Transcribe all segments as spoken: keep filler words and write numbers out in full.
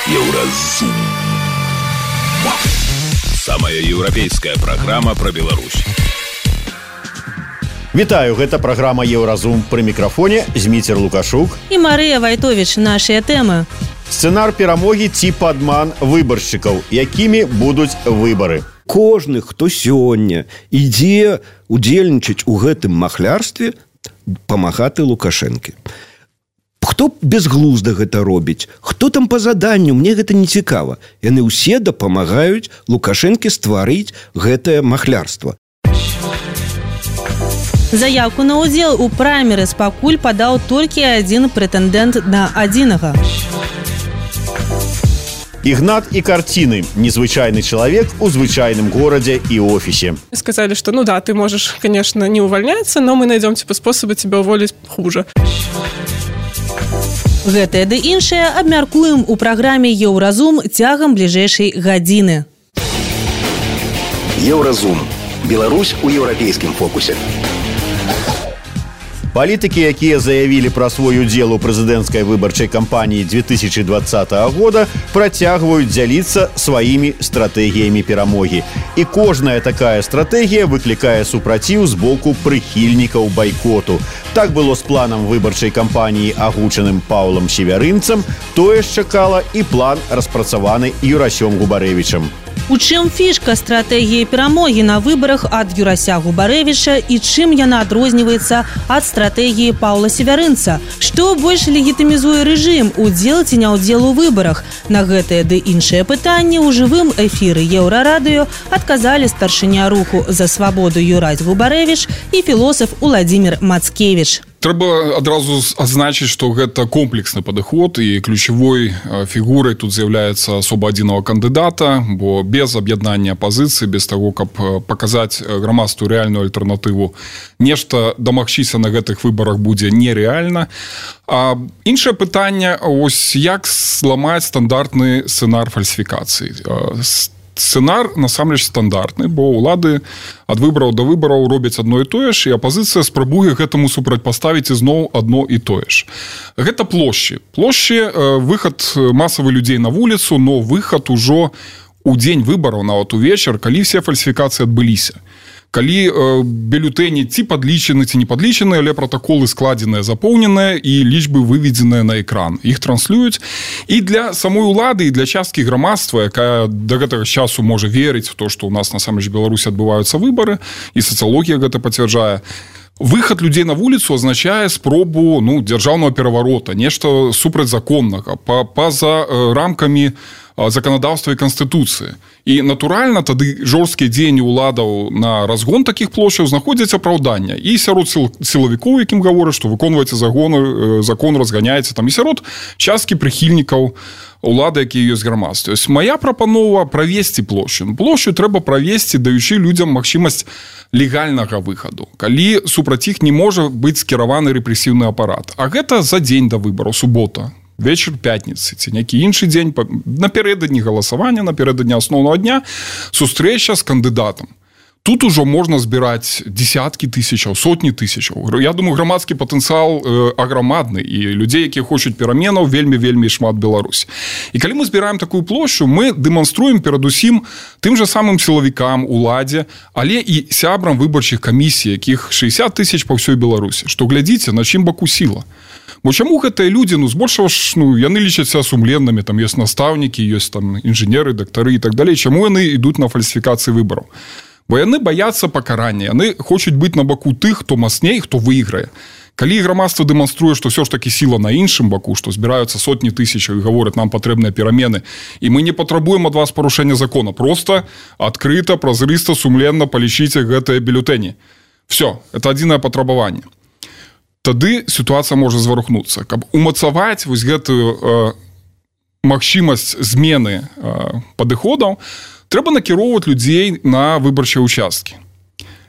Еўразум. Самая еўрапейская праграма пра Беларусь. Вітаю, гэта праграма Еўразум. Пры мікрафоне Зміцер Лукашук і Марыя Вайтовіч. Нашыя тэмы. Сцэнар перамогі ці падман выбаршчыкаў, якімі будуць выбары. Кожны, хто сёння ідзе удзельнічаць у гэтым махлярстве, памагаты Лукашэнкі. Хто безглузда гэта робіць? Хто там па заданню? Мне гэта не цікава. Яны ўсе дапамагаюць Лукашэнкі стварыць гэтае махлярства. Заявку на ўдзел у праймерыз пакуль падаў толькі адзін прэтэндэнт на адзінага. Игнат и картины. Незвычайный человек у звычайном городе и офисе. Сказали, что ну да, ты можешь, конечно, не увольняться, но мы найдем типа способы тебя уволить хуже. Гэтае ды іншае абмяркуем у праграме Еўразум цягам бліжэйшай гадзіны. Еўразум. Беларусь у еўрапейскім фокусе. Палітыкі, якія заявілі пра свой удзел у прэзідэнцкай выбарчай кампаніі две тысячи двадцатого года, працягваюць дзяліцца сваімі стратэгіямі перамогі. І кожная такая стратэгія выклікае супраціў з боку прыхільнікаў байкоту. Так было з планам выбарчай кампаніі, агучаным Паўлам Севярынцам, тое ж чакала і план, распрацаваны Юрасём Губарэвічам. У чым фішка стратэгіі перамогі на выбарах ад Юрася Губарэвіча і чым яна адрозніваецца ад стратэгіі Паўла Севярынца? Што больш легітымізуе рэжым, удзел ці няўдзел у выбарах? На гэтыя ды іншыя пытанні ў жывым эфіры Еўрарадыё адказалі старшыня руху за свабоду Юрась Губарэвіч і філосаф Уладзімір Мацкевіч. Трэба адразу адзначыць, што гэта комплексны падыход і ключавой фігурай тут з'яўляецца асоба адзінага кандыдата, бо без аб'яднання апазіцыі, без таго, каб паказаць грамадству рэальную альтэрнатыву, нешта дамагчыся на гэтых выбарах будзе нерэальна. А іншае пытанне, ось як зламаць стандартны сцэнар фальсіфікацыі. Сцэнар насамрэч стандартны, бо ўлады ад выбараў да выбараў робяць адно і тое ж, і апазіцыя спрабуе гэтаму супрацьпаставіць ізноў адно і тое ж. Гэта плошчы. Плошчы, выхад масавы людзей на вуліцу, но выхад ужо у дзень выбараў, нават увечар, калі все фальсіфікацыі адбыліся. Калі э, бюлетэні ці падлічаны, ці не падлічаны, але пратаколы складзеныя, запоўненыя і лічбы выведзеныя на экран. Іх транслююць. І для самой улады, і для часткі грамадства, якая да гэтага часу можа верыць в то, што ў нас насамрэч Беларусі адбываюцца выбары, і сацыялогія гэта пацвярджае, выхад людзей на вуліцу азначае спробу ну, дзяржаўнага пераварота, нешта супрацьзаконнага, па-за э, рамкамі законодаўства і канстытуцыі. І, натуральна, тады жорсткія дзеянні ўладаў на разгон такіх плошчаў знаходзяць апраўдання. І сярод сілавікоў, якім гавораць, што выконваеце загон, закон, разганяеце, там, і сярод часткі прыхільнікаў улады, якія ёсць грамадстве. Ось моя прапанова правесці плошчу. Плошчу трэба правесці, даючы людзям магчымасць легальнага выхаду, калі супраць іх не можа быць скіраваны рэпрэсіўны апарат. А гэта за дзень да выбараў, субота, вечар пятніцы, ці нейкі іншы дзень, напярэдадні галасавання, напярэдадні асноўнага дня, сустрэча з кандыдатам. Тут ужо можна збіраць десяткі тысячаў, сотні тысячаў. Я думаю, грамадскі патэнцыял э, аграмадны, і людзей, якія хочуць пераменаў, вельмі-вельмі шмат Беларусь. І калі мы збіраем такую плошчу, мы дэманструем перадусім тым жа самым сілавікам, уладзе, але і сябрам выбарчых камісій, якіх шэсцьдзесят тысяч па ўсёй Беларусі. Што глядзіце, на чым баку сіла. Бо чаму гэтыя людзі, ну, збольшага ж, ну, яны лічацца сумленнымі, там ёсць настаўнікі, ёсць там інжынеры, дактары і так далей. Чаму яны ідуць на фальсіфікацыі выбараў? Бо яны баяцца пакарання, яны хочуць быць на баку тых, хто мацней, хто выйграе. Калі грамадства дэманструе, што ўсё ж такі сіла на іншым баку, што збіраюцца сотні тысячаў і гавораць, нам патрэбныя перамены, і мы не патрабуем ад вас парушэння закона, проста адкрыта, празрыста, сумленна палічыце гэтыя бюлетэні. Всё, это адзінае патрабаванне. Тады сітуацыя можа зварухнуцца. Каб умацаваць вось гэтую э, магчымасць змены э, падыходаў, трэба накіроўваць людзей на выбарчыя участкі.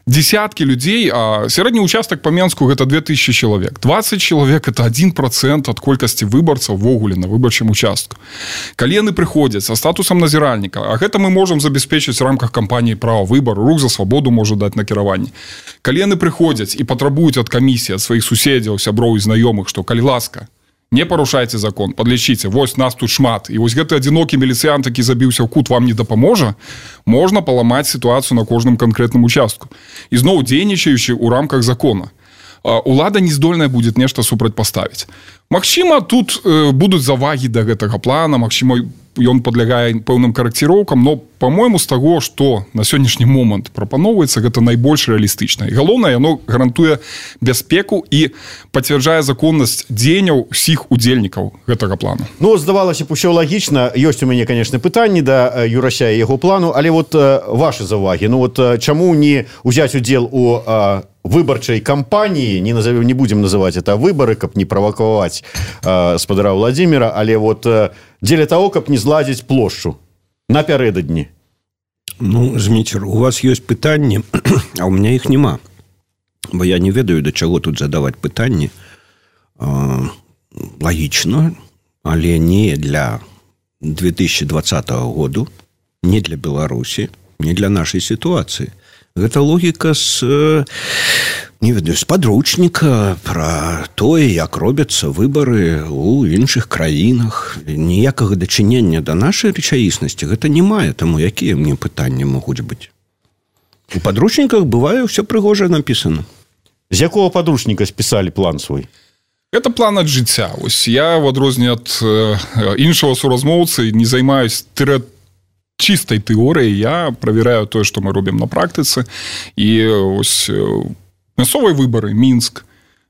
Десяткі людзей, а сярэдні участак па Менску гэта две тысячи чалавек. двадцать чалавек это один процент ад колькасці выбарцаў ввогуле на выбарчым участку. Калі яны прыходзяць са статусам назіральніка, а гэта мы можам забяспечыць в рамках кампаніі права выбару, рух за свабоду можа даць накіраванне. Калі яны прыходзяць і патрабуюць ад камісіі, ад сваіх суседзяў, сяброў і знаёмых, што калі ласка, Не парушайце закон, подлічыце, вось нас тут шмат, і вось гэты адзінокі міліцыянт, які забіўся ў кут, вам не дапаможа, можна паламаць сітуацыю на кожным канкрэтным участку. І зноў дзейнічаючы ў рамках закона. Улада не здольная будзе нешта супрацьпаставіць. Магчыма, тут э, будуць завагі да гэтага плана, магчыма, ён падлягае пэўным карэкціроўкам, но, па-мойму, з таго, што на сённяшні момант прапаноўваецца, гэта найбольш рэалістычна. І галоўнае, яно гарантуе бяспеку і пацвярджае законнасць дзеянняў усіх удзельнікаў гэтага плану. Ну, здавалася б, усё лагічна. Ёсць у мяне, канешне, пытанні да Юрася і яго плану, але вот вашы завагі. Ну, вот чаму не ўзяць удзел у выбарчай кампаніі, не назовем, не будем называть это выборы, каб не правакаваць э, спадара Владимира, але вот э, дзеля того, каб не зладзіць плошчу напярэдадні. Ну, Зміцер, у вас ёсць пытанні, а у меня іх няма. Бо я не ведаю, да чаго тут задаваць пытанні. Э, лагічна, але не для две тысячи двадцатого году, не для Беларусі, не для нашай сітуацыі. Гэта логіка з, не ведаю, з падручніка пра тое, як робяцца выбары ў іншых краінах. Ніякага дачынення да нашай рэчаіснасці гэта не мае, таму якія мне пытанні могуць быць. У падручніках бывае ўсё прыгожа напісана. З якога падручніка спісалі план свой? Это план ад жыцця. Ось я, в адрозненне ад іншага суразмоўцы, не займаюсь тэоретычнай чистой теории, я проверяю то, что мы робим на практике. И ось мясцовые выборы, Минск,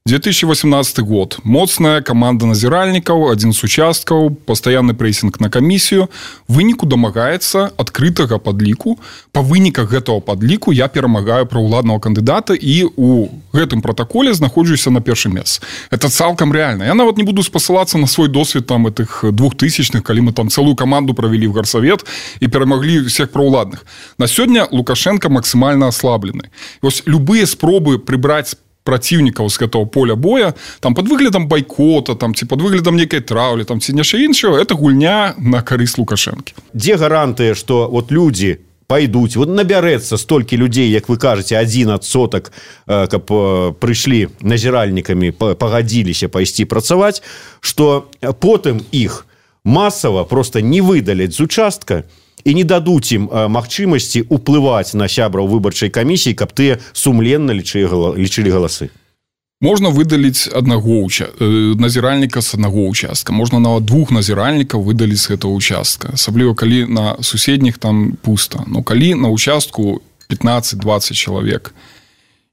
две тысячи восемнадцатый год. Моцная команда назиральников, один с участков, постоянный прессинг на комиссию. Выніку домагаецца адкрытага падліку. По выніках гэтага падліку я перамагаю праўладнага кандыдата і у гэтым протоколе знаходжуся на першым месцы. Это цалкам реально. Я нават не буду спасылацца на свой досвед там этих двухтысячных, калі мы там целую команду провели в горсовет и перамаглі всех праўладных. На сёння Лукашенко максимально ослаблены. И ось любые спробы прибрать противников с этого поля боя, там под выглядом бойкота, там, ці под выглядом некой траўлі, там, ці нешта іншого, это гульня на карысць Лукашэнкі. Дзе гарантыя, што вот люди пойдуць, вот набярэцца столькі людзей, як вы кажаце, адзін адсотак, каб прыйшлі назіральнікамі, пагадзіліся пайсці працаваць, што потым іх масава просто не выдаляць з участка і не дадуць ім магчымасці ўплываць на сябраў выбарчай камісіі, каб тыя сумленна лічылі галасы. Можна выдаліць аднаго уча... назіральніка з аднаго участка. Можна нават двух назіральнікаў выдаліць з гэтага участка. Асабліва, калі на суседніх там пуста. Но калі на участку пятнаццаць-дваццаць чалавек,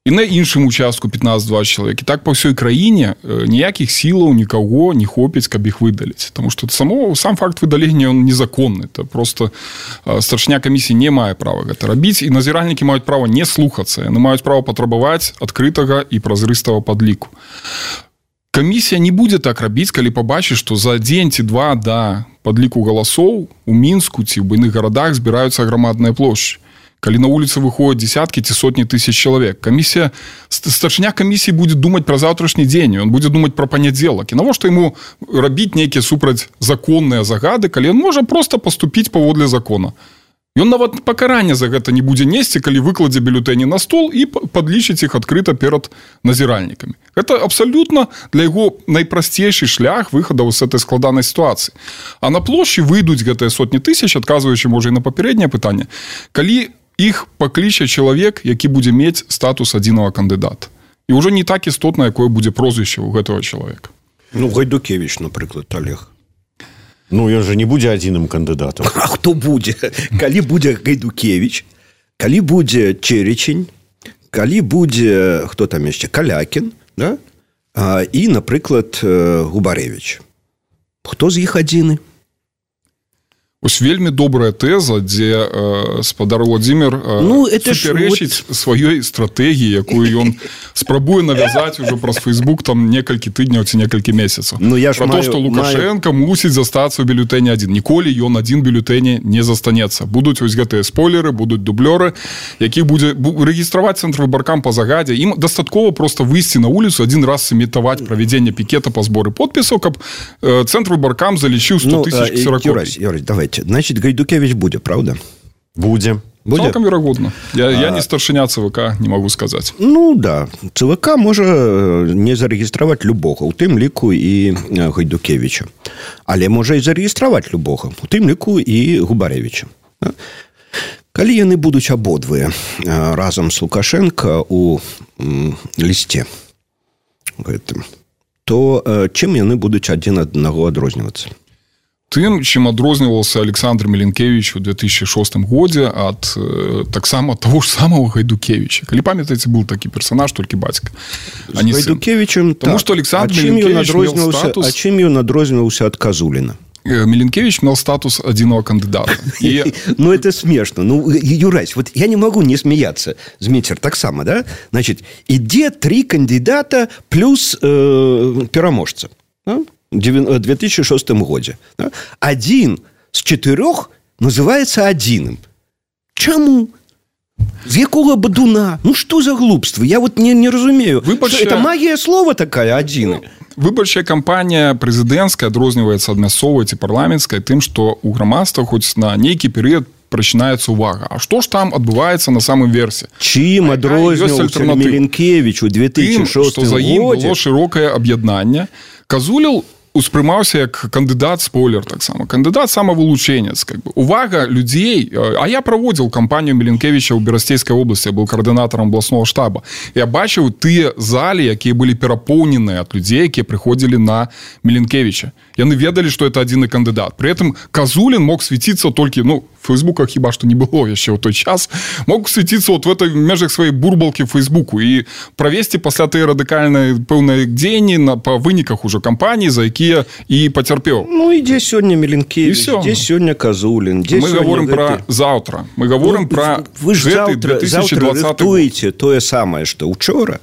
і на іншым участку пятнаццаць-дваццаць чалавек. І так па ўсёй краіне ніякіх сілаў нікаго не хопіць, каб іх выдаліць. Таму што само, сам факт выдалення он незаконны. Это просто старшыня камісіі не мае права гэта рабіць, і назіральнікі маюць права не слухацца. Яны маюць права патрабаваць адкрытага і празрыстага падліку. Камісія не будзе так рабіць, калі пабачыць, што за дзень ці два да падліку галасоў у Мінску ці ў буйных гарадах збіраюцца грамадныя плошчы. Калі на улице выходят десятки ці сотни тысяч человек, комиссия, старшыня комиссии будет думать про завтрашний день, он будет думать про понеделок. И навошта ему рабіць некие супрацьзаконныя загады, калі он можа просто поступить паводле закона. Ён нават пакарання за гэта не будзе несці, калі выкладзе бюлетэні на стол і падлічыць іх адкрыта перад назіральнікамі. Гэта абсалютна для яго найпрасцейшы шлях выхаду з этой складанай сітуацыі. А на плошчы выйдуць гэтыя сотні тысяч, адказваючы, можа, і на папярэдняе пытанне, калі іх пакліча чалавек, які будзе мець статус адзінага кандыдата. І ўжо не так істотна, якое будзе прозвішча ў гэтага чалавека. Ну, Гайдукевич, напрыклад, Олег. Ну, ён же не будзе адзіным кандыдатам. А хто будзе? Калі будзе Гайдукевич, калі будзе Черечень, калі будзе, хто там яшчэ, Калякін, да? А, і, напрыклад, Губаревич. Хто з іх адзіны? Ось вельмі добрая тэза, дзе э, спадар Владимир э, ну, суперечыць вот... сваёй стратэгіі, якую ён спрабуе навязаць ужо праз Facebook там некалькі тыдняў ці некалькі месяцаў. Ну, я Про маю, то, што Лукашенко маю... мусіць застацца ў бюлетэне адзін. Ніколі ён адзін бюлетэне не застанецца. Будуць ось гэтыя спойлеры, будуць дублёры, якіх будзе рэгістраваць цэнтр выбаркам па загадзе. Ім дастаткова проста выйсці на вуліцу, адзін раз сымітаваць правядзенне пікета па зборы подпісаў, каб э, цэнтр выбаркам залічыў сто тысяч ксеракопій. Юрась, Юрась, давай. Значит, Гайдукевич будет, правда? Будем. Будзе? Цалкам верагодна. Я, я не старшыня ЦВК, не могу сказаць. Ну да, ЦВК можа не зарэгістраваць любога, у тым ліку і Гайдукевіча. Але можа і зарэгістраваць любога, у тым ліку і Губарэвіча. Калі яны будуць абодвыя разам з Лукашенко у лісце гэтым, то чым яны будуць адзін ад аднаго адрознівацца? Тым, чым адрозніваўся Александр Меленкевич у две тысячи шостым годзе ад э, таксама того ж самого Гайдукевича. Калі памятаеце, был такі персонаж, толькі бацька. А не Гайдукевичем, Тому так. што Александр а Меленкевич меў статус... А чым ён адрозніваўся ад Казуліна? Меленкевич мел статус одиного кандидата. И... Ну, это смешно. Ну, Юрась, вот я не могу не смеяться. Змейцер так само, да? Значит, иде три кандидата плюс э, пераможца. Да? В две тысячи шостым году. Да? Один с четырех называется одиным. Чему? З якого бадуна? Ну, что за глупство? Я вот не, не разумею. Выборчая... Это магия слова такая, один. Выборчая кампанія прэзідэнцкая адрозніваецца ад мясцовай ці парламенцкай тым, што ў грамадства хоць на нейкі перыяд прачынаецца ўвага. А што ж там адбываецца на самым версе? Чым адрозніваўся Меленкевич у две тысячи шостым годзе? Тым, што за ім было шырокае аб'яднанне. Казуліл успрымаўся як кандыдат спойлер таксама. Кандыдат самавылучэнец. Как бы. Увага людзей... А я праводзіў кампанію Меленкевича ў Берасцейскай обласці, я быў каардынатарам абласного штаба. Я бачыў тыя залі, якія былі перапоўненыя ад людзей, якія прыходзілі на Меленкевича. Яны ведалі, што это адзіны кандыдат. Пры этом Казулін мог свяціцца толькі, ну, в Фейсбуках хіба што не было яшчэ ў той час, мог свяціцца вот в этой межах сваёй бурбалкі в Фейсбуку і правесці пасля тыя радыкальныя пэўныя дзеянні на, па выніках уже кампаніі, за якія і пацярпеў. Ну, і дзе сёння Меленкевич, дзе сёння Казулін, дзе мы говорим гэты... про заўтра. Мы говорим ну, про вы ж заўтра, заўтра рыхтуеце тое самае, што учора.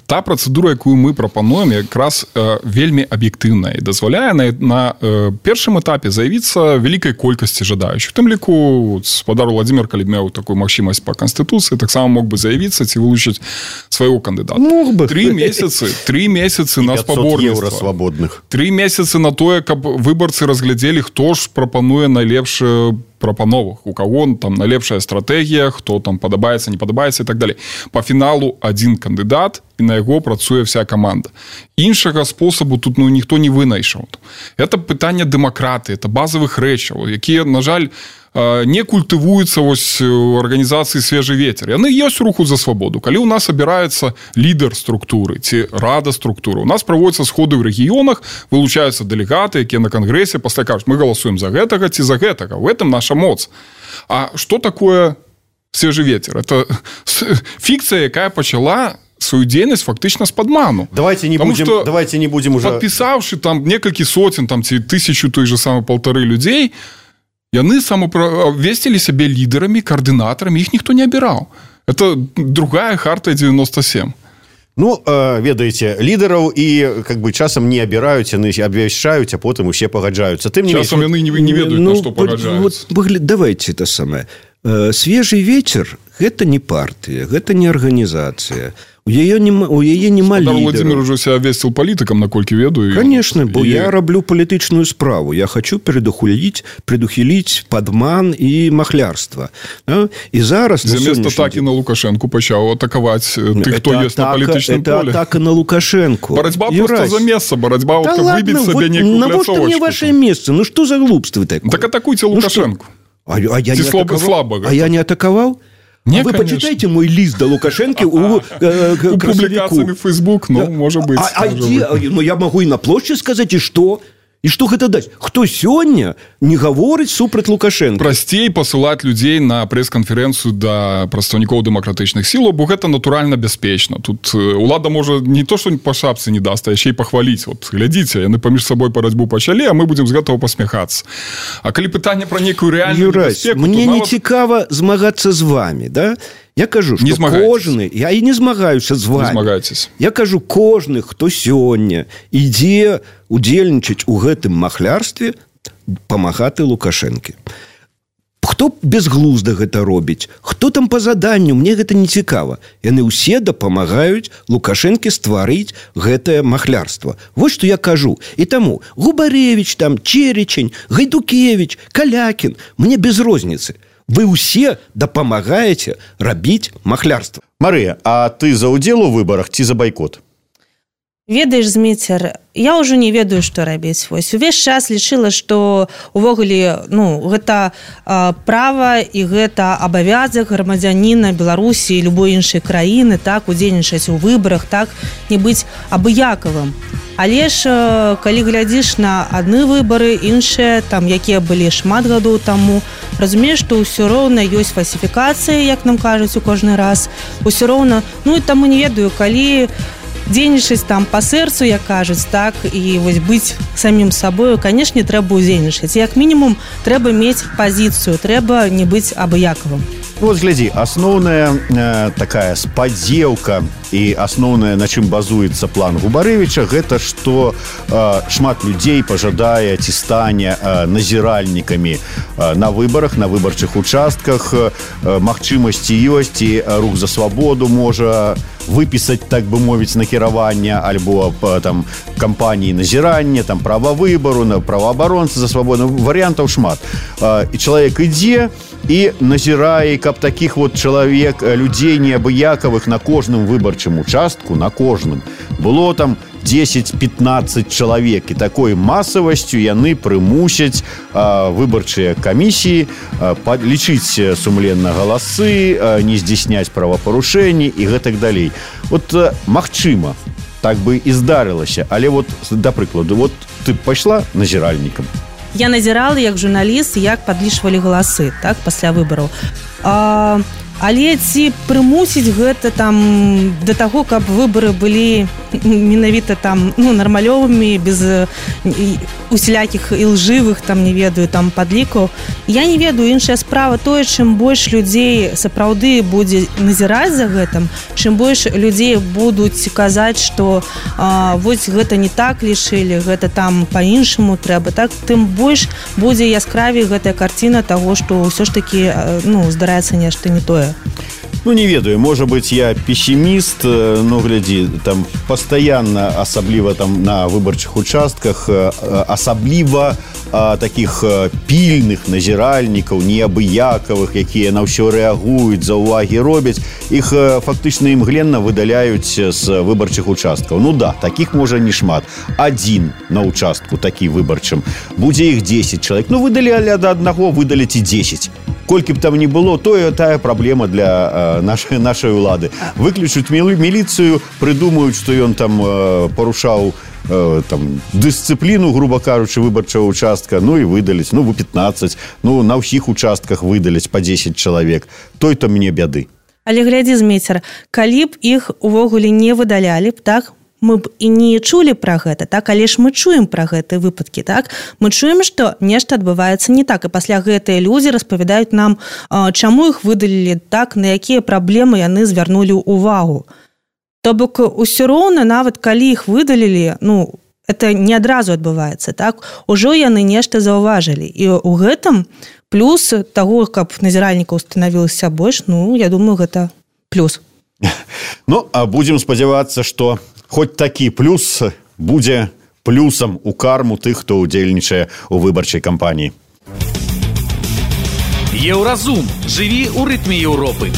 Та працэдура, якую мы прапануем, якраз э, вельмі аб'ектыўная і дазваляе на, на э, першым этапе заявіцца вялікай колькасці жадаючых. Тым ліку спадар Владимир, калі меў такую магчымасць па Канстытуцыі, таксама мог бы заявіцца ці вылучыць свайго кандыдата. Мог бы. Тры месяцы, тры месяцы на спаборніцтва. Свабодных. Тры месяцы на тое, каб выбарцы разглядзелі, хто ж прапануе найлепшы прапановах, у кого там найлепшая стратэгія, хто там падабаецца, не падабаецца і так далей. Па фіналу адзін кандыдат, і на яго працуе вся каманда. Іншага спосабу тут ну, ніхто не вынайшаў. Это пытанне дэмакратыі, это базавых рэчаў, якія, на жаль, не культывуюцца вось у арганізацыі «Свежы ветер». Яны ёсць руху за свабоду. Калі ў нас абіраецца лідар структуры ці рада структуры, у нас праводзяцца сходы ў рэгіёнах, вылучаюцца дэлегаты, якія на кангрэсе пасля кажуць, мы галасуем за гэтага ці за гэтага. В этом наша моц. А што такое «Свежы ветер»? Это фікцыя, якая пачала свою дзейнасць фактычна з падману. Давайте не Потому будем, что, давайте не будем уже... Подпісаўшы там некалькі соцень, там, ці тысячу, той же самый полторы людзей, яны самавесцілі сябе лідарамі, каардынатарамі, іх ніхто не абіраў. Это другая харта девяносто семь. Ну, э, ведаеце, лідараў і как бы часам не абіраюць, яны абвяшчаюць, а потым усе пагаджаюцца. Тым не часам яны не, не ведаюць, ну, на што пагаджаюцца. Вот, давайте это самае. Свежий ветер – гэта не партыя, гэта не арганізацыя. У яе нема, у яе нема лідера. Владимир уже себя весціл палітыкам, наколькі ведаю. Конечно, бо і... я раблю палітычную справу. Я хочу предухилить, предухилить падман і махлярства. І зараз... Замест атаки на Лукашенку пачаў атакаваць тых, хто ёсць на палітычным поле. Это атака на Лукашенку. Барацьба просто за месца, барацьба да вот ладно, выбіць сабе вот некую пляцовачку. Навошта мне ваше месца? Ну что за глупство такое? Так атакуйте Лукашенку. Ну, а, а, я не слабо, слабо, а я не атаковал? Не, а вы конечно. Почитайте мой лист до Лукашенко у, э, у публикациями в Facebook, ну, да. может быть. А, а где? Ну, я могу и на площади сказать, и что? І што гэта даць? Хто сёння не гаворыць супраць Лукашенко? Прасцей пасылаць людзей на прэс-канферэнцыю да прадстаўнікоў дэмакратычных сілаў, бо гэта натуральна бяспечна. Тут улада можа не то, што па шапцы не даст, а яшчэ і пахваліць. Вот, глядзіце, яны паміж сабой барацьбу пачалі, а мы будзем з гэтага пасмяхацца. А калі пытанне пра нейкую рэальную бяспеку... Мне не нават... цікава змагацца з вамі, да? Я кажу, што кожны... Я і не змагаюся з вами. Не змагайцеся. Я кажу, кожны, хто сёння ідзе удзельнічаць у гэтым махлярстве, памагаты Лукашэнкі. Хто безглузда гэта робіць? Хто там па заданню? Мне гэта не цікава. Яны ўсе дапамагаюць Лукашэнкі стварыць гэтае махлярства. Вось што я кажу. І таму Губарэвіч, там, Черечень, Гайдукевич, Калякін, мне без розніцы. вы ўсе дапамагаеце рабіць махлярства. Марыя, а ты за ўдзел у выбарах ці за байкот? Ведаеш, Зміцер, я ўжо не ведаю, што рабіць. Вось увесь час лічыла, што увогуле, ну, гэта а, права і гэта абавязак грамадзяніна Беларусі і любой іншай краіны, так, удзельнічаць у выбарах, так, не быць абыякавым. Але ж, калі глядзіш на адны выбары, іншыя, там, якія былі шмат гадоў таму, разумееш, што ўсё роўна ёсць фальсіфікацыі, як нам кажуць у кожны раз. Усё роўна, ну, і таму не ведаю, калі дзейнічаць там па сэрцу, як кажуць, так, і вось быць самім сабою, канешне, трэба ўдзельнічаць. Як мінімум, трэба мець пазіцыю, трэба не быць абыякавым. Ну, вот глядзі, асноўная э, такая спадзеўка і асноўная, на чым базуецца план Губарэвіча, гэта што э, шмат людзей пажадае ці стане э, назіральнікамі э, на выбарах, на выбарчых участках. Э, магчымасці ёсць, і рух за свабоду можа выпісаць, так бы мовіць, накіраванне альбо там кампаніі назірання, там права выбару, на праваабаронцы за свабоду. Варыянтаў шмат. Э, і чалавек ідзе і назірае, каб таких вот чалавек, людзей неабыякавых на кожным выбарчым участку, на кожным, было там дзесяць-пятнаццаць чалавек, і такой масавасцю яны прымусяць а, выбарчыя камісіі а, лічыць сумленна галасы, а, не здзяйсняць правапарушэнні і гэтак далей. Вот а, магчыма, так бы і здарылася, але вот, да прыкладу, вот ты пайшла назіральнікам. Я назірала як журналіст, як падлічвалі галасы, так, пасля выбараў. А, але ці прымусіць гэта там да таго, каб выбары былі менавіта там, ну, нармалёвымі, без усялякіх ілжывых, там, не ведаю, там, падлікаў. Я не ведаю, іншая справа тое, чым больш людзей сапраўды будзе назіраць за гэтым, чым больш людзей будуць казаць, што а, вось гэта не так лічылі, гэта там па-іншаму трэба, так, тым больш будзе яскравей гэтая карціна таго, што ўсё ж такі, ну, здараецца нешта не тое. Ну, не ведаю, можа быть, я пессимист, но, гляди, там постоянно, особливо там на выборчих участках, особливо таких пільных назіральнікаў, неабыякавых, якія на ўсё рэагуюць, за ўвагі робяць, іх фактычна імгленна выдаляюць з выбарчых участкаў. Ну да, таких можа не шмат. Адзін на участку такі выбарчым. Будзе іх дзесяць чалавек. Ну, выдалялі ад аднаго, выдаліць і дзесяць. Колькі б там не было, тое тая праблема для э, нашай, нашай улады. Выключуць міліцыю, прыдумаюць, што ён там э, парушаў э, там, дысцыпліну, грубо кажучы, выбарчага участка, ну і выдаліць, ну, пятнаццаць, ну, на ўсіх участках выдаліць па дзесяць чалавек. Той-то мне бяды. Але глядзі, Зміцер, калі б іх увогуле не выдалялі б, так, мы б і не чулі пра гэта, так, але ж мы чуем пра гэтыя выпадкі, так? Мы чуем, што нешта адбываецца не так, і пасля гэтыя людзі распавядаюць нам, чаму іх выдалілі, так, на якія праблемы яны звярнулі ўвагу. То бок, усё роўна, нават калі іх выдалілі, ну, это не адразу адбываецца, так? Ужо яны нешта заўважылі. І ў гэтым плюс таго, каб назіральнікаў станавілася больш, ну, я думаю, гэта плюс. Ну, а будзем спадзявацца, што хоць такі плюс будзе плюсам у карму тых, хто ўдзельнічае ў выбарчай кампаніі. Еўразум. Жыві ў рытме Еўропы.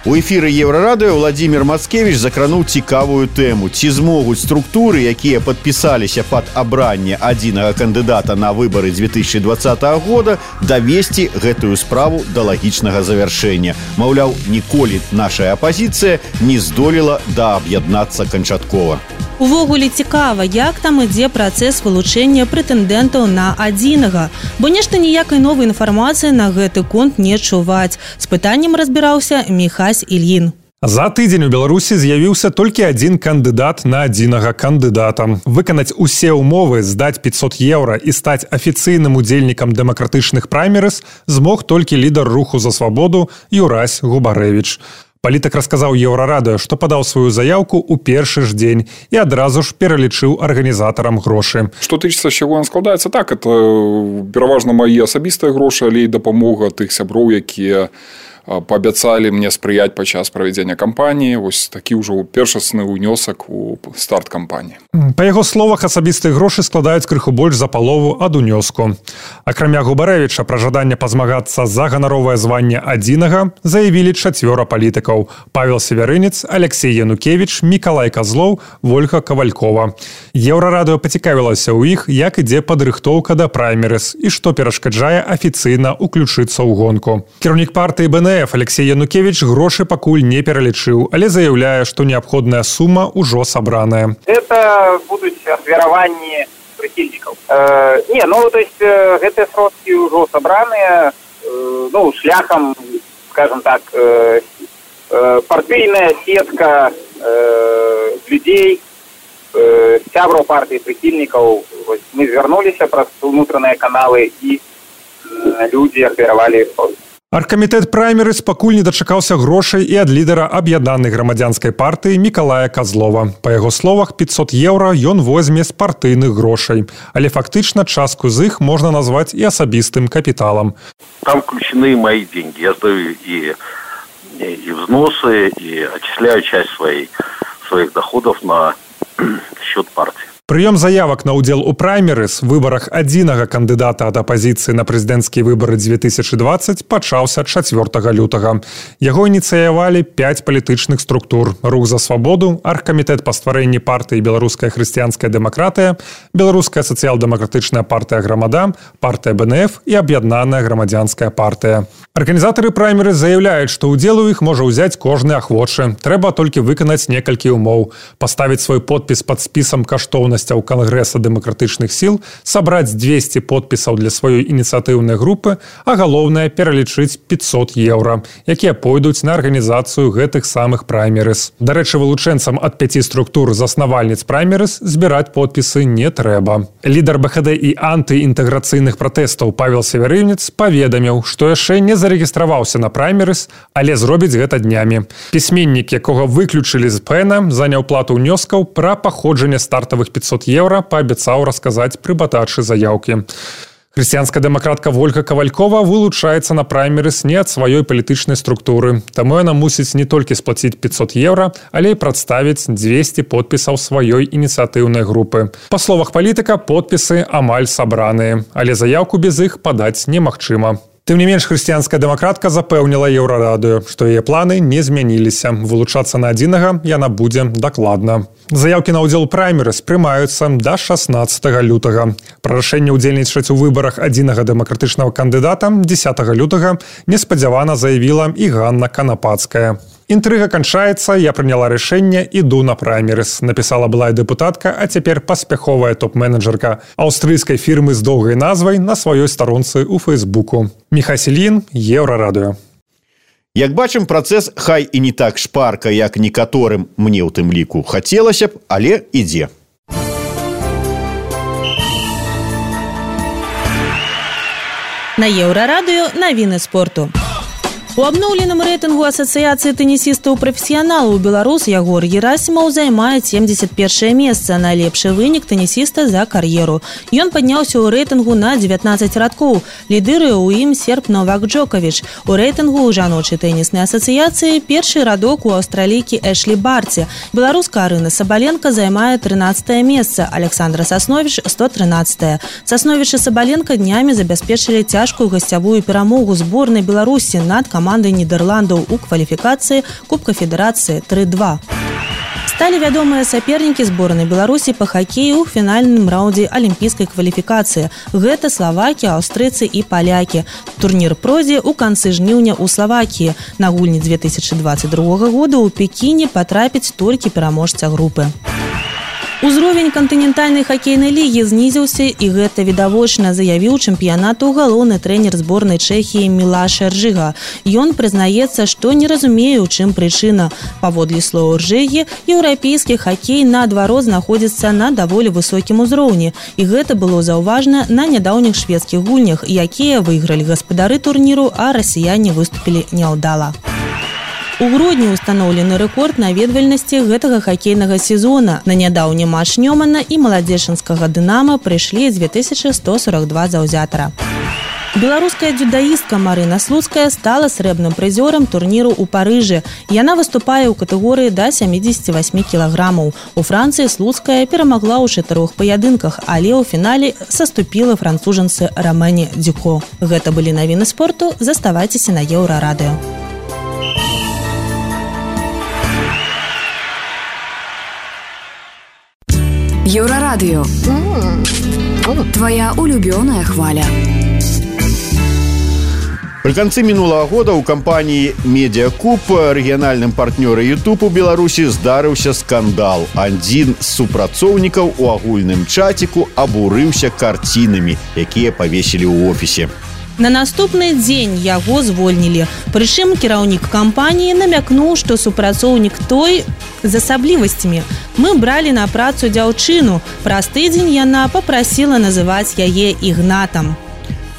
У эфіры Еўрарадыё Владзімір Мацкевіч закрануў цікавую тэму. Ці змогуць структуры, якія падпісаліся пад абранне адзінага кандыдата на выбары дзве тысячы дваццатага года, давесці гэтую справу да лагічнага завяршэння. Маўляў, ніколі нашая апазіцыя не здолела дааб'яднацца канчаткова. Увогуле цікава, як там ідзе працэс вылучэння прэтэндэнтаў на адзінага, бо нешта ніякай новай інфармацыі на гэты конт не чуваць. З пытаннем разбіраўся Міхась Ільін. За тыдзень у Беларусі з'явіўся толькі адзін кандыдат на адзінага кандыдата. Выканаць усе ўмовы, здаць пятьсот еўра і стаць афіцыйным удзельнікам дэмакратычных праймерыз змог толькі лідар руху за свабоду Юрась Губарэвіч. Палітык расказаў Еўрарадыё, што падаў сваю заяўку ў першы ж дзень і адразу ж пералічыў арганізатарам грошы. Што тычыцца, з чаго ён складаецца, так, это пераважна мае асабістыя грошы, але і дапамога тых сяброў, якія паабяцалі мне спрыяць падчас правядзення кампаніі. Вось такі ўжо першасны ўнёсак у старт кампаніі. Па яго словах, асабістыя грошы складаюць крыху больш за палову ад унёску. Акрамя Губарэвіча, пра жаданне пазмагацца за ганаровае званне адзінага заявілі чацвёра палітыкаў: Павел Севярынец, Алексей Янукевич, Мікалай Казлоў, Вольга Кавалькова. Еўрарадыё пацікавілася ў іх, як ідзе падрыхтоўка да праймерыз і што перашкаджае афіцыйна ўключыцца ў гонку. Кіраўнік партыі бэ эн эф Алексей Янукевич грошы пакуль не пералічыў, але заяўляе, што неабходная сума ўжо сабраная. Это будуць ахвяраванні прыхільнікаў. Э, не, ну, то есть э, гэтыя сродкі ўжо сабраныя, э, ну, шляхам, скажем так, э, э, партыйная сетка э, людзей, э, сябраў партыі прыхільнікаў. Мы звярнуліся праз унутраныя каналы і э, людзі ахвяравалі сродкі. Аргкамітэт праймерыз пакуль не дачакаўся грошай і ад лідара аб'яднанай грамадзянскай партыі Мікалая Казлова. Па яго словах, пятьсот еўра ён возьме з партыйных грошай. Але фактычна частку з іх можна назваць і асабістым капіталам. Там включены мои деньги. Я сдаю и, и, и взносы, и отчисляю часть своей, своих доходов на счет партии. Прыём заявак на ўдзел у праймерыз, выбарах адзінага кандыдата ад апазіцыі на прэзідэнцкія выбары две тысячи двадцать пачаўся чацвёртага лютага. Яго ініцыявалі пяць палітычных структур: Рух за свабоду, Аргкамітэт па стварэнні партыі Беларуская хрысціянская дэмакратыя, Беларуская сацыял-дэмакратычная партыя Грамада, партыя бэ эн эф і аб'яднаная грамадзянская партыя. Арганізатары праймерыз заяўляюць, што ўдзел у іх можа ўзяць кожны ахвочы. Трэба толькі выканаць некалькі умоў: паставіць свой подпіс пад спісам каштоўнасцяў Кангрэса дэмакратычных сіл, сабраць двести подпісаў для сваёй ініцыятыўнай групы, а галоўнае пералічыць пятьсот еўра, якія пойдуць на арганізацыю гэтых самых праймерыз. Дарэчы, вылучэнцам ад пяці структур заснавальніц праймерыз збіраць подпісы не трэба. Лідар бэ ха дэ і антыінтэграцыйных пратэстаў Павел Севярынец паведаміў, што яшчэ не зарэгістраваўся на праймерыз, але зробіць гэта днямі. Пісьменнік, якога выключылі з пэ эн, заняў плату ўнёскаў пра паходжанне стартавых пятьсот еўра, паабяцаў расказаць пры падачы заяўкі. Хрысціянская дэмакратка Вольга Кавалькова вылучаецца на праймерыз не ад сваёй палітычнай структуры, таму яна мусіць не толькі сплаціць пятьсот еўра, але і прадставіць двести подпісаў сваёй ініцыятыўнай групы. Па словах палітыка, подпісы амаль сабраныя, але заяўку без іх падаць немагчыма. Тым не менш, хрысціянская дэмакратка запэўніла Еўрарадыё, што яе планы не змяніліся. Вылучацца на адзінага яна будзе дакладна. Заяўкі на ўдзел у праймерыз прымаюцца да шаснаццатага лютага. Пра рашэнне ўдзельнічаць у выбарах адзінага дэмакратычнага кандыдата дзесятага лютага неспадзявана заявіла і Ганна Канапацкая. Інтрыга канчаецца, я прыняла рашэнне, іду на праймерыз, напісала былая дэпутатка, а цяпер паспяховая топ-менеджерка аўстрыйскай фірмы з доўгай назвай на сваёй старонцы ў Фэйсбуку. Міхась Ільін, Еўрарадыё. Як бачым, працэс хай і не так шпарка, як некаторым, мне ў тым ліку хацелася б, але ідзе. На Еўрарадыё навіны спорту. У абноўленым рэйтынгу асацыяцыі тэнісістаў-прафесіяналаў беларус Ягор Герасімаў займае семьдесят першае месца, найлепшы вынік тэнісіста за кар'еру. Ён падняўся ў рэйтынгу на дзевятнаццаць радкоў. Лідыруе ў ім серб Новак Джоковіч. У рэйтынгу ў жаночай тэніснай асацыяцыі першы радок у аўстралійкі Эшлі Барці. Беларуска Арына Сабаленка займае трынаццатае месца, Александра Сасновіч сто трынаццатае. Сасновіч і Сабаленка днямі забяспечылі цяжкую гасцявую перамогу зборнай Беларусі над камандай команды Нідерландаў у кваліфікацыі Кубка Федэрацыі тры два. Сталі вядомыя сапернікі зборнай Беларусі па хакею ў фінальным раўндзе алімпійскай кваліфікацыі. Гэта славакі, аўстрыйцы і палякі. Турнір пройдзе ў канцы жніўня ў Славакіі. На гульні две тысячи двадцать другога года ў Пекіне патрапіць толькі пераможца групы. Узровень кантынентальнай хакейнай лігі знізіўся, і гэта відавочна, заявіў чэмпіянату галоўны трэнер зборнай Чэхіі Мілаш Эржыга. Ён прызнаецца, што не разумее, у чым прычына. Паводле слоў Эржыгі, еўрапейскі хакей наадварот знаходзіцца на даволі высокім узроўні, і гэта было заўважна на нядаўніх шведскіх гульнях, якія выйгралі гаспадары турніру, а расіяне выступілі няўдала. У грудні ўстаноўлены рэкорд наведвальнасці гэтага хакейнага сезона. На нядаўні матч Нёмана і маладзечанскага Дынама прыйшлі дзве тысячы сто сорок два заўзятара. Беларуская дзюдаістка Марына Слуцкая стала срэбным прызёрам турніру ў Парыжы. Яна выступае ў катэгорыі да сямідзесяці васьмі кілаграмаў. У Францыі Слуцкая перамагла ў чатырох паядынках, але ў фінале саступіла францужанцы Ромэне Дюко. Гэта былі навіны спорту. Заставайцеся на Еўрарадыё. Еўрарадыё. Твоя улюбёная хваля. Пры канцы мінулага года ў кампаніі «Медіакуб», рэгіянальным партнёры YouTube у Беларусі, здарыўся скандал. Адзін з супрацоўнікаў у агульным чаціку абурыўся карцінамі, якія павесілі ў офісе. На наступны дзень яго звольнілі. Прычым кіраўнік кампаніі намякнуў, што супрацоўнік той з асаблівасцямі. Мы бралі на працу дзяўчыну. Праз тыдзень яна папрасіла называць яе Ігнатам.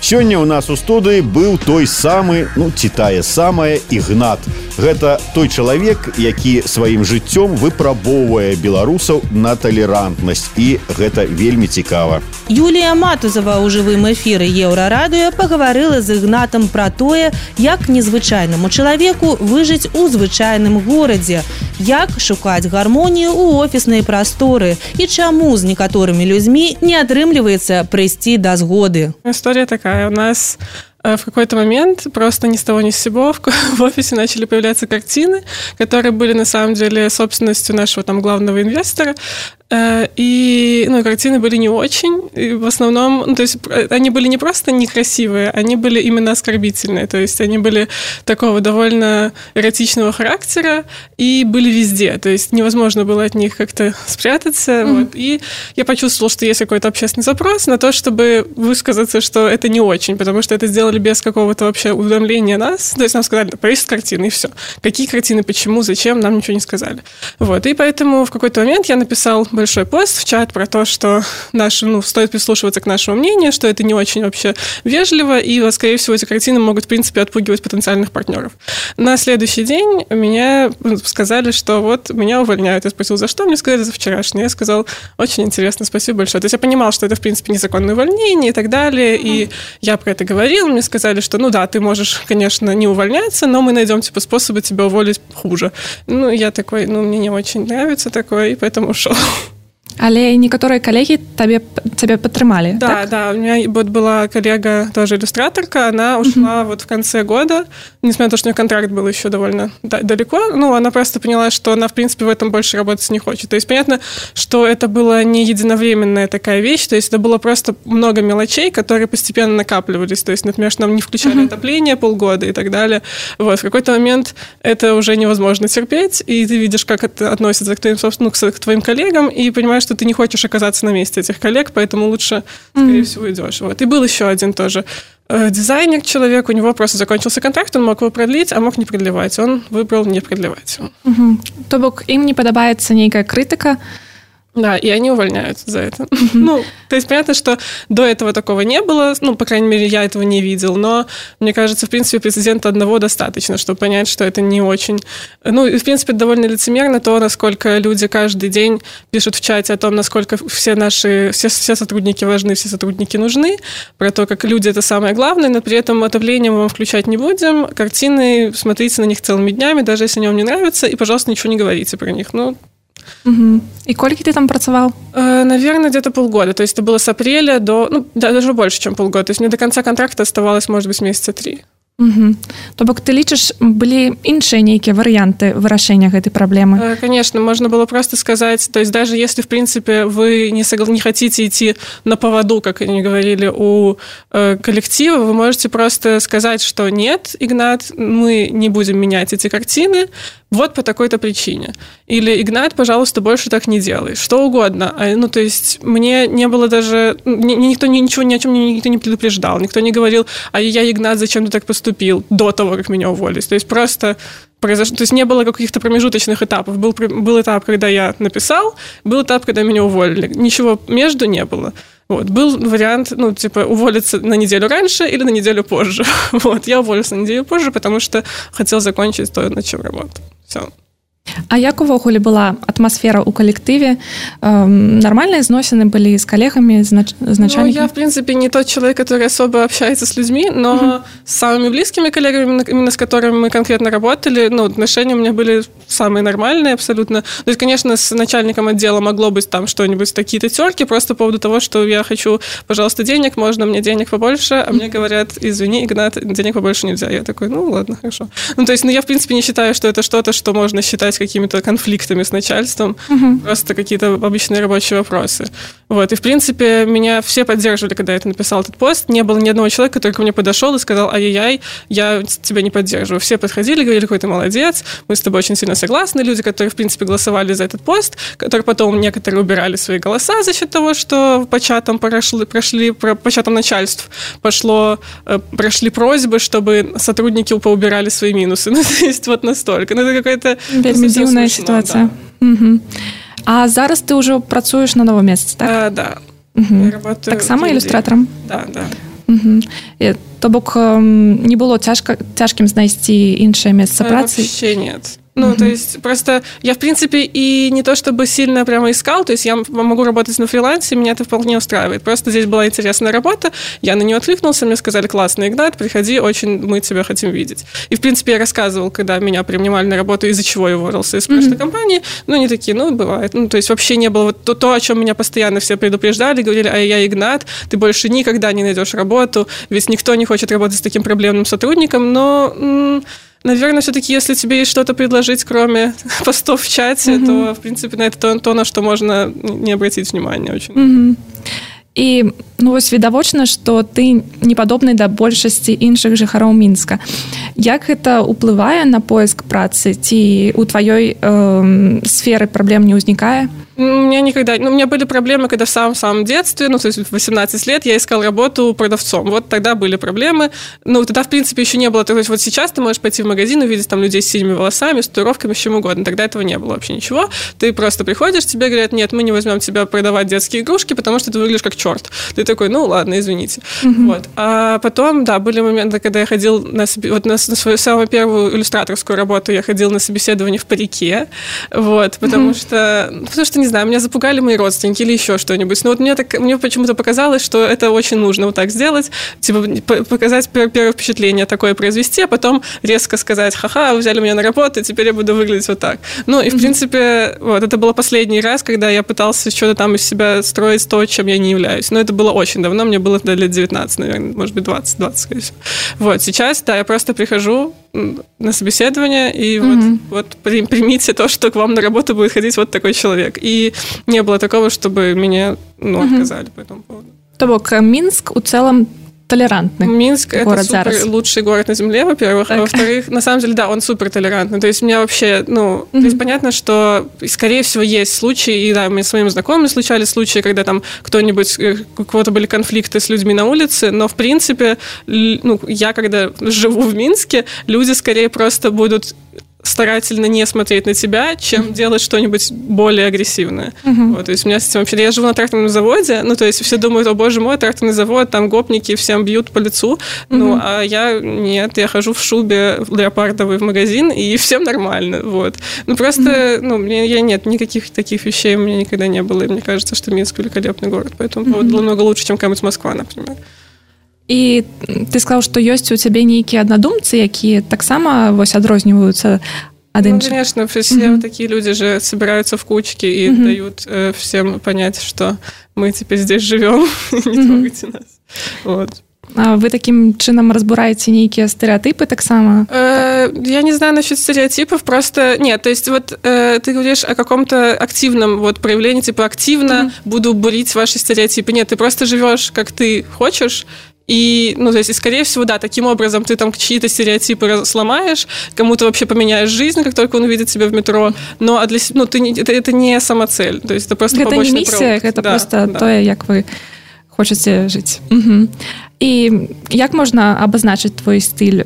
Сёння ў нас у студыі быў той самы, ну, ці тая самая Ігнат. Гэта той чалавек, які сваім жыццём выпрабоўвае беларусаў на талерантнасць. І гэта вельмі цікава. Юлія Матузава ў жывым эфіры Еўрарадыё пагаварыла з Ігнатам пра тое, як незвычайнаму чалавеку выжыць у звычайным горадзе, як шукаць гармонію ў офіснай прасторы і чаму з некаторымі людзьмі не атрымліваецца прыйсці да згоды. История такая. У нас в какой-то момент просто ни с того ни с сего в офисе начали появляться картины, которые были на самом деле собственностью нашего там главного инвестора. И, ну, картины были не очень. И в основном, ну, то есть они были не просто некрасивые, они были именно оскорбительные. То есть они были такого довольно эротичного характера и были везде. То есть невозможно было от них как-то спрятаться. Mm-hmm. Вот. И я почувствовала, что есть какой-то общественный запрос на то, чтобы высказаться, что это не очень, потому что это сделали без какого-то вообще уведомления нас. То есть нам сказали, повесить картины, и все. Какие картины, почему, зачем, нам ничего не сказали. Вот. И поэтому в какой-то момент я написал большой пост в чат про то, что наш, ну, стоит прислушиваться к нашему мнению, что это не очень вообще вежливо, и, скорее всего, эти картины могут, в принципе, отпугивать потенциальных партнеров. На следующий день меня сказали, что вот меня увольняют. Я спросил, за что? Мне сказали, за вчерашнее. Я сказал, очень интересно, спасибо большое. То есть я понимал, что это, в принципе, незаконное увольнение и так далее, и я про это говорил. Мне сказали, что, ну да, ты можешь, конечно, не увольняться, но мы найдем, типа, способы тебя уволить хуже. Ну, я такой, ну, мне не очень нравится такое, и поэтому ушел. Але некоторые коллеги тебе, тебя подтримали, да, так? Да, у меня вот была коллега, тоже иллюстраторка, она ушла mm-hmm. вот в конце года, несмотря на то, что у нее контракт был еще довольно далеко, ну, она просто поняла, что она, в принципе, в этом больше работать не хочет. То есть понятно, что это была не единовременная такая вещь, то есть это было просто много мелочей, которые постепенно накапливались. То есть, например, что нам не включали mm-hmm. отопление полгода и так далее. Вот, в какой-то момент это уже невозможно терпеть, и ты видишь, как это относится к твоим, собственно, к твоим коллегам, и понимаешь, что ты не хочешь оказаться на месте этих коллег, поэтому лучше, скорее mm-hmm. всего, идешь. Вот. И был еще один тоже э, дизайнер, человек, у него просто закончился контракт, он мог его продлить, а мог не продлевать. Он выбрал не продлевать. Mm-hmm. То бок, им не подобается некая критика. Да, и они увольняются за это. Mm-hmm. Ну, то есть понятно, что до этого такого не было, ну, по крайней мере, я этого не видел, но мне кажется, в принципе, прецедента одного достаточно, чтобы понять, что это не очень... Ну, и, в принципе, довольно лицемерно то, насколько люди каждый день пишут в чате о том, насколько все наши, все, все сотрудники важны, все сотрудники нужны, про то, как люди — это самое главное, но при этом отопление мы вам включать не будем, картины, смотрите на них целыми днями, даже если они вам не нравятся, и, пожалуйста, ничего не говорите про них. Ну, Угу. И сколько ты там працевал? Э, наверное, где-то полгода. То есть это было с апреля до... Ну, даже больше, чем полгода. То есть мне до конца контракта оставалось, может быть, месяца три. Угу. То бок ты лічыш, былі іншыя нейкія варыянты вырашэння гэтай праблемы? Конечно, можно было просто сказать, то есть даже если, в принципе, вы не, согла... не хотите идти на поводу, как они говорили, у э, коллектива, вы можете просто сказать, что нет, Игнат, мы не будем менять эти картины, вот по такой-то причине. Или, Игнат, пожалуйста, больше так не делай. Что угодно. Ну, то есть мне не было даже... Никто ничего, ни о чем никто не предупреждал. Никто не говорил, а я, Игнат, зачем ты так поступил до того, как меня уволили. То есть просто произошло... То есть не было каких-то промежуточных этапов. Был, был этап, когда я написал, был этап, когда меня уволили. Ничего между не было. Вот. Был вариант, ну, типа, уволиться на неделю раньше или на неделю позже. Вот. Я уволился на неделю позже, потому что хотел закончить то, над чем работал. Все. А як увогуле была атмасфера ў калектыве? Эм, нормальные зносины были с коллегами, с нач... начальниками? Ну, я, в принципе, не тот человек, который особо общается с людьми, но uh-huh. с самыми близкими коллегами, именно с которыми мы конкретно работали, ну, отношения у меня были самые нормальные абсолютно. То есть, конечно, с начальником отдела могло быть там что-нибудь, такие-то терки, просто по поводу того, что я хочу, пожалуйста, денег, можно мне денег побольше, а мне говорят, извини, Игнат, денег побольше нельзя. Я такой, ну, ладно, хорошо. Ну, то есть, ну, я, в принципе, не считаю, что это что-то, что можно считать какими-то конфликтами с начальством, uh-huh. просто какие-то обычные рабочие вопросы. Вот. И, в принципе, меня все поддерживали, когда я это написал, этот пост. Не было ни одного человека, который ко мне подошел и сказал, ай-яй-яй, я тебя не поддерживаю. Все подходили, говорили, какой ты молодец, мы с тобой очень сильно согласны. Люди, которые, в принципе, голосовали за этот пост, которые потом некоторые убирали свои голоса за счет того, что по чатам прошли, прошли по чатам начальств пошло, прошли просьбы, чтобы сотрудники поубирали свои минусы. Ну, то есть вот настолько. Ну, это какая-то... Вельми дзіўная ситуация. Да. Угу. А зараз ты уже працуешь на новом месте, так? А, да. Угу. Так само иллюстратором? Да, да. Угу. І, то бок не было цяжка, цяжкім знайсці іншае месца працы? Вообще нет. Ну, uh-huh. то есть, просто я, в принципе, и не то чтобы сильно прямо искал, то есть я могу работать на фрилансе, меня это вполне устраивает. Просто здесь была интересная работа, я на нее откликнулся, мне сказали, классный Игнат, приходи, очень мы тебя хотим видеть. И, в принципе, я рассказывал, когда меня принимали на работу, из-за чего я уволился из прошлой uh-huh. компании, ну, они такие, ну, бывает. Ну, то есть, вообще не было вот то, то, о чем меня постоянно все предупреждали, говорили, а я Игнат, ты больше никогда не найдешь работу, ведь никто не хочет работать с таким проблемным сотрудником, но... М- Наверное, все-таки, если тебе есть что-то предложить, кроме постов в чате, mm-hmm. то, в принципе, на это то, то, на что можно не обратить внимания очень. Mm-hmm. І ну вось відавочна, што ты не падобны да большасці іншых жыхароў Мінска. Як гэта ўплывае на поиск працы? Ці у тваёй э, сферы праблем не ўзнікае? У меня никогда... Ну, у меня были проблемы, когда в самом-самом детстве, ну, то есть в восемнадцать лет я искал работу продавцом. Вот тогда были проблемы. Ну, тогда, в принципе, еще не было... То есть вот сейчас ты можешь пойти в магазин, увидеть там людей с синими волосами, с татуировками, с чем угодно. Тогда этого не было вообще ничего. Ты просто приходишь, тебе говорят, нет, мы не возьмем тебя продавать детские игрушки, потому что ты выглядишь как черт. Ты такой, ну, ладно, извините. Mm-hmm. Вот. А потом, да, были моменты, когда я ходил на, вот на, на свою самую первую иллюстраторскую работу, я ходил на собеседование в парике, вот, потому mm-hmm. что... Потому что, не знаю, меня запугали мои родственники или еще что-нибудь. Но вот мне, так, мне почему-то показалось, что это очень нужно вот так сделать, типа показать первое впечатление, такое произвести, а потом резко сказать, ха-ха, вы взяли меня на работу, теперь я буду выглядеть вот так. Ну и, в mm-hmm. принципе, вот, это было последний раз, когда я пытался что-то там из себя строить то, чем я не являюсь. Но это было очень давно, мне было лет девятнадцать, наверное, может быть, двадцать, двадцать, скорее всего. Вот, сейчас, да, я просто прихожу на собеседование, и mm-hmm. вот, вот примите то, что к вам на работу будет ходить вот такой человек. И не было такого, чтобы меня ну, mm-hmm. отказали по этому поводу. То бок Минск у целом толерантный. Минск – город это супер зараз. Лучший город на земле, во-первых. Так. А во-вторых, на самом деле, да, он супер толерантный. То есть у меня вообще, ну, mm-hmm. то есть понятно, что, скорее всего, есть случаи, и да, мне с моими знакомыми случались случаи, когда там кто-нибудь, у кого-то были конфликты с людьми на улице, но, в принципе, ну, я, когда живу в Минске, люди скорее просто будут старательно не смотреть на тебя, чем mm-hmm. делать что-нибудь более агрессивное. Mm-hmm. Вот, то есть у меня с этим вообще... Я живу на тракторном заводе, ну, то есть все думают, о, боже мой, тракторный завод, там гопники всем бьют по лицу, mm-hmm. ну, а я нет, я хожу в шубе леопардовой в магазин, и всем нормально, вот. Ну, просто, mm-hmm. ну, мне я нет, никаких таких вещей у меня никогда не было, и мне кажется, что Минск великолепный город, поэтому mm-hmm. повод намного лучше, чем какая-нибудь Москва, например. І ты сказаў, што ёсць у цябе нейкія аднадумцы, якія таксама вось адрозніваюцца ад іншых? Ну, конечно, все mm-hmm. такие люди же собираются в кучки и mm-hmm. дают э, всем понять, что мы теперь здесь живем, не mm-hmm. трогайте нас. Вот. А вы таким чынам разбураеце нейкія стэеатыпы таксама? Э, я не знаю насчет стереотипов, просто... Нет, то есть вот э, ты говоришь о каком-то активном вот проявлении, типа активно mm-hmm. буду бурить ваши стереотипы. Нет, ты просто живешь, как ты хочешь, и, ну, то есть, и, скорее всего, да, таким образом ты там чьи-то стереотипы сломаешь, кому-то вообще поменяешь жизнь, как только он увидит тебя в метро, но а для, ну, ты не, это, это не самоцель, то есть это просто это побочный не миссия, продукт. Это да, просто да. то, як вы хочаце жыць. Угу. І як можна абазначыць твой стыль?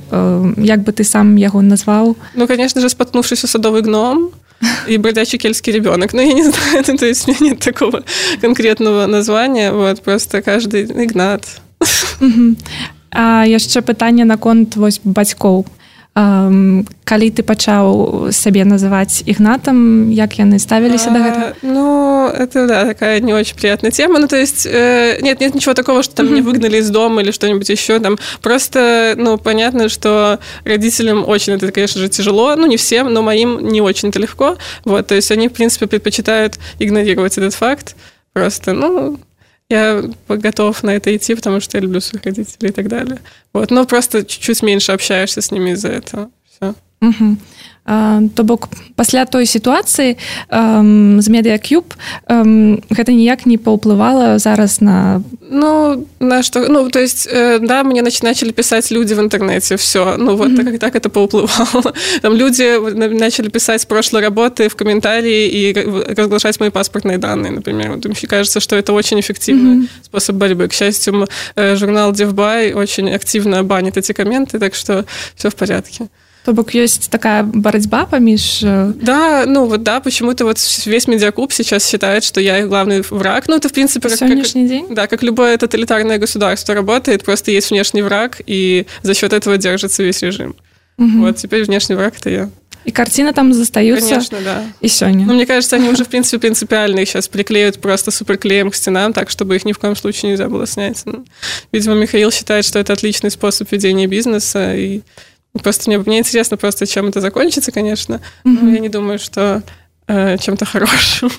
Як бы ты сам яго назваў? Ну, конечно же, споткнувшийся садовый гном и бродячий кельтский ребенок. Но я не знаю, то есть у меня нет такого конкретного названия, вот, просто каждый Игнат. Uh-huh. А яшчэ пытанне наконт вось бацькоў. калі ты пачаў сябе называць Ігнатам, як яны ставіліся да гэтага? Ну, это, да, такая не очень приятная тема. Ну, то есть, э, нет, нет ничего такого, что там mm-hmm. меня выгнали из дома или что-нибудь еще. Там просто, ну, понятно, что родителям очень это, конечно же, тяжело. Ну, не всем, но моим не очень это легко. Вот, то есть, они, в принципе, предпочитают игнорировать этот факт. Просто, ну... Я готов на это идти, потому что я люблю своих родителей и так далее. Вот. Но просто чуть-чуть меньше общаешься с ними из-за этого. Все. Угу. А, то бок, пасля той ситуации эм, з Медиакуб эм, гэта ніяк не паўплывала зараз на... Ну, на что... Ну, то есть, э, да, мне нач- начали писать люди в интернете, все. Ну, вот mm-hmm. так, так это поуплывало. Там люди начали писать с прошлой работы в комментарии и разглашать мои паспортные данные, например. Вот, мне кажется, что это очень эффективный mm-hmm. способ борьбы. К счастью, э, журнал Девбай очень активно банит эти комменты, так что все в порядке. То бок ёсць такая барацьба паміж... Да, ну вот да, почему-то вот весь Медиакуб сейчас считает, что я их главный враг. Ну это, в принципе, как, сегодняшний как, день? Да, как любое тоталитарное государство работает, просто есть внешний враг, и за счет этого держится весь режим. Угу. Вот теперь внешний враг — это я. И картины там застаются. Конечно, да. И сегодня. Ну, мне кажется, они уже, в принципе, принципиально их сейчас приклеют просто суперклеем к стенам, так, чтобы их ни в коем случае нельзя было снять. Ну, видимо, Михаил считает, что это отличный способ ведения бизнеса, и просто мне, мне интересно просто, чем это закончится, конечно, mm-hmm. но я не думаю, что э, чем-то хорошим.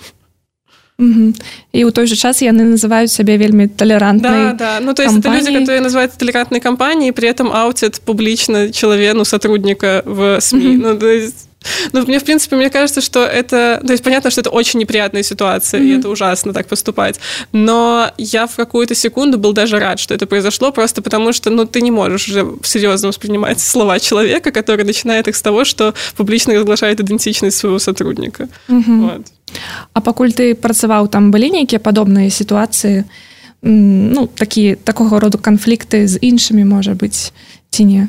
Mm-hmm. И у той же час яны называют себя вельми толерантной Да, да. Ну, то есть компанией. Это люди, которые называют толерантной компанией, при этом аутят публично человека, ну, сотрудника в СМИ. Mm-hmm. Ну, то есть... Ну, мне, в принципе, мне кажется, что это... То есть, понятно, что это очень неприятная ситуация, mm-hmm. и это ужасно так поступать. Но я в какую-то секунду был даже рад, что это произошло, просто потому что, ну, ты не можешь уже серьезно воспринимать слова человека, который начинает их с того, что публично разглашает идентичность своего сотрудника. Mm-hmm. Вот. А пакуль ты працаваў, там былі нейкія падобныя сітуацыі, ну, такі, такого роду канфлікты з іншымі, можа быць, ці не?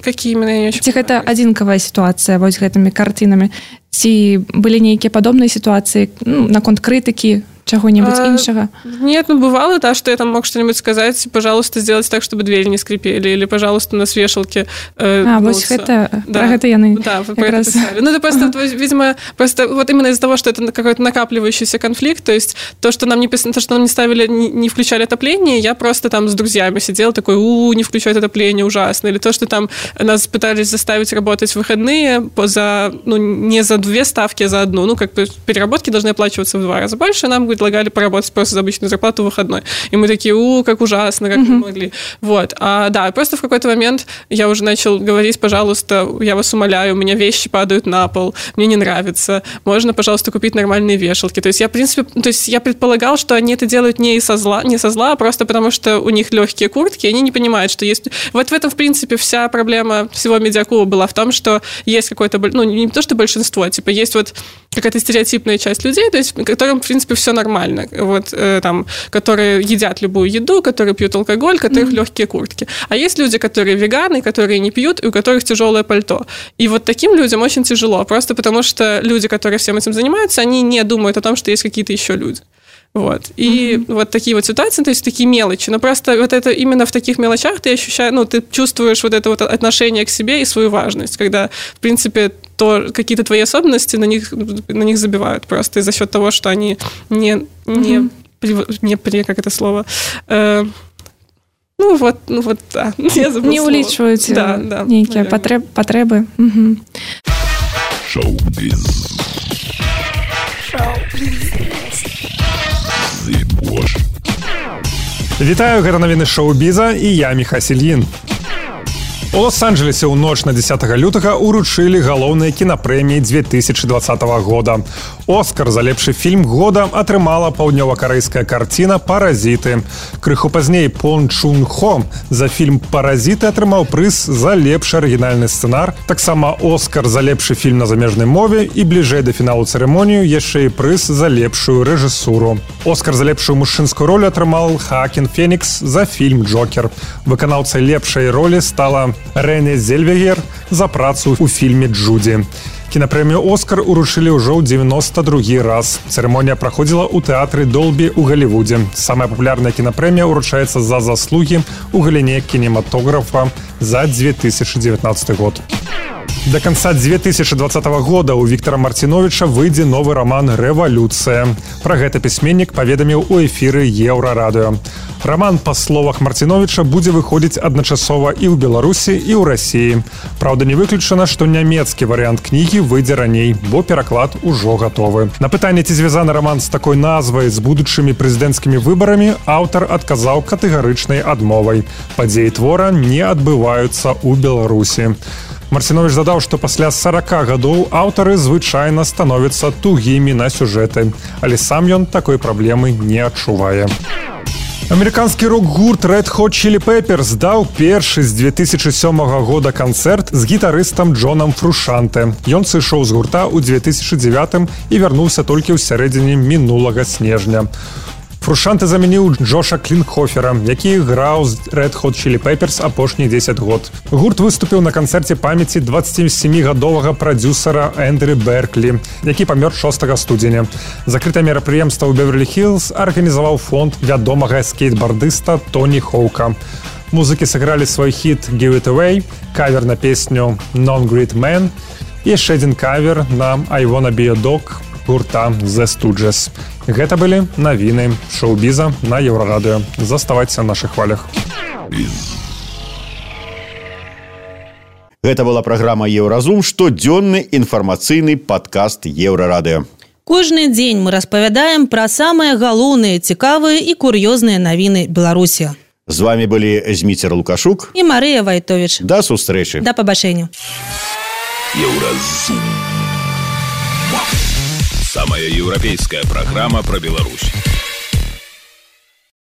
Какие именно, я не очень ці гэта адзінкавая сітуацыя вось гэтымі картинамі, ці былі нейкія падобныя сітуацыі, ну, наконт крытыкі чего-нибудь а, іншага? Нет, ну бывало, да, что я там мог что-нибудь сказать, пожалуйста, сделать так, чтобы двери не скрипели, или, пожалуйста, у нас вешалки э, А, вот это, да. про это яны Да, вы про это писали. Ну, это просто, ага. видимо, просто вот именно из-за того, что это какой-то накапливающийся конфликт, то есть то, что нам не, то, что нам не ставили, не, не включали отопление, я просто там с друзьями сидела, такой, у, не включают отопление, ужасно, или то, что там нас пытались заставить работать в выходные за, ну, не за две ставки, а за одну, ну, как бы переработки должны оплачиваться в два раза больше, нам предлагали поработать просто за обычную зарплату в выходной. И мы такие, у, как ужасно, как mm-hmm. мы могли. Вот. А, да, просто в какой-то момент я уже начал говорить, пожалуйста, я вас умоляю, у меня вещи падают на пол, мне не нравится, можно, пожалуйста, купить нормальные вешалки. То есть я, в принципе, то есть я предполагал, что они это делают не со зла, не со зла, а просто потому, что у них легкие куртки, и они не понимают, что есть... Вот в этом, в принципе, вся проблема всего Медиакуба была в том, что есть какое-то, ну, не то, что большинство, типа, есть вот какая-то стереотипная часть людей, то есть, которым, в принципе, все нормально, вот, э, там, которые едят любую еду, которые пьют алкоголь, у которых mm-hmm. легкие куртки. А есть люди, которые веганы, которые не пьют, и у которых тяжелое пальто. И вот таким людям очень тяжело, просто потому что люди, которые всем этим занимаются, они не думают о том, что есть какие-то еще люди. Вот. И mm-hmm. вот такие вот ситуации, то есть такие мелочи. Но просто вот это именно в таких мелочах ты ощущаешь, ну, ты чувствуешь вот это вот отношение к себе и свою важность, когда, в принципе, то какие-то твои особенности на них, на них забивают просто за счет того, что они не, не, mm-hmm. при, не при, как это слово, э, ну вот, ну вот, да, я забыла не уличивают да, да, некие потреб, потребы. Угу. Шоу-биз. Вітаю, гэта навіны шоу-біза і я Міха Сільін. У Лос-Анджелесе ў ноч на дзесятага лютага ўручылі галоўныя кінапрэміі две тысячи двадцатого года. Оскар за лепшы фільм года атрымала паўднёва-карэйская карціна «Паразіты». Крыху пазней Пон Чун Хо за фільм «Паразіты» атрымаў прыз за лепшы арыгінальны сцэнар, таксама Оскар за лепшы фільм на замежнай мове і бліжэй да фіналу цырымонію яшчэ і прыз за лепшую рэжысуру. Оскар за лепшую мужчынскую ролю атрымаў Хаакін Фенікс за фільм «Джокер». Выканаўцай лепшай ролі стала Рэне Зельвегер за працу ў фільме «Джуді». Кінапрэмію «Оскар» уручылі ўжо ў дзевяносто другі раз. Цырымонія праходзіла ў тэатры «Долбі» ў Галівудзе. Самая папулярная кінапрэмія ўручаецца за заслугі ў галіне кінематографа за две тысячи девятнадцатый год. До конца две тысячи двадцатого года у Віктора Марціновіча выйдзе новы роман «Рэвалюцыя». Пра гэта пісьменнік паведаміў у эфіры Еўрарадыё. Роман, па словах Марціновіча, будзе выходзіць адначасова і ў Беларусі, і ў Расіі. Праўда, не выключана, што нямецкі варыянт кнігі выйдзе раней, бо пераклад ужо гатовы. На пытанне, ці звязаны роман з такой назвай з будучымі прэзідэнцкімі выбарамі, аўтар адказаў катэгарычнай адмовай. Падзеі твора не адбываюцца ў Беларусі. Марціновіч задаў, што пасля сорока гадоў аўтары звычайна становяцца тугімі на сюжэты, але сам ён такой праблемы не адчувае. Амерыканскі рок-гурт Red Hot Chili Peppers даў першы з две тысячи сёмага года канцэрт з гітарыстам Джонам Фрушанте. Ён сышоў з гурта ў две тысячи девятым і вярнуўся толькі ў сярэдзіне мінулага снежня. Фрушанте замяніў Джоша Клінхофера, які граў з Red Hot Chili Peppers апошніх дзесяць год. Гурт выступіў на канцэрце памяці дваццацісямігадовага прадзюсара Эндрю Берклі, які памёр шостага студзеня. Закрытае мерапрыемства ў Беверлі-Хілз арганізаваў фонд вядомага скейтбардыста Тоні Хоука. Музыкі сыгралі свой хіт «Give It Away», кавер на песню «Non-Great Man» і яшчэ адзін кавер на «I Wanna Be a Dog» гурта The Stooges. Гэта былі навіны шоу-біза на Еўрарадыё. Заставайцеся на нашых хвалях. Гэта была праграма «Еўразум», штодзённы інфармацыйны падкаст Еўрарадыё. Кожны дзень мы распавядаем пра самыя галоўныя, цікавыя і кур'ёзныя навіны Беларусі. З вами былі Зміцер Лукашук і Марыя Вайтовіч. Да сустрэчы. Да пабачэння. Еўразум. Самая европейская программа про Беларусь.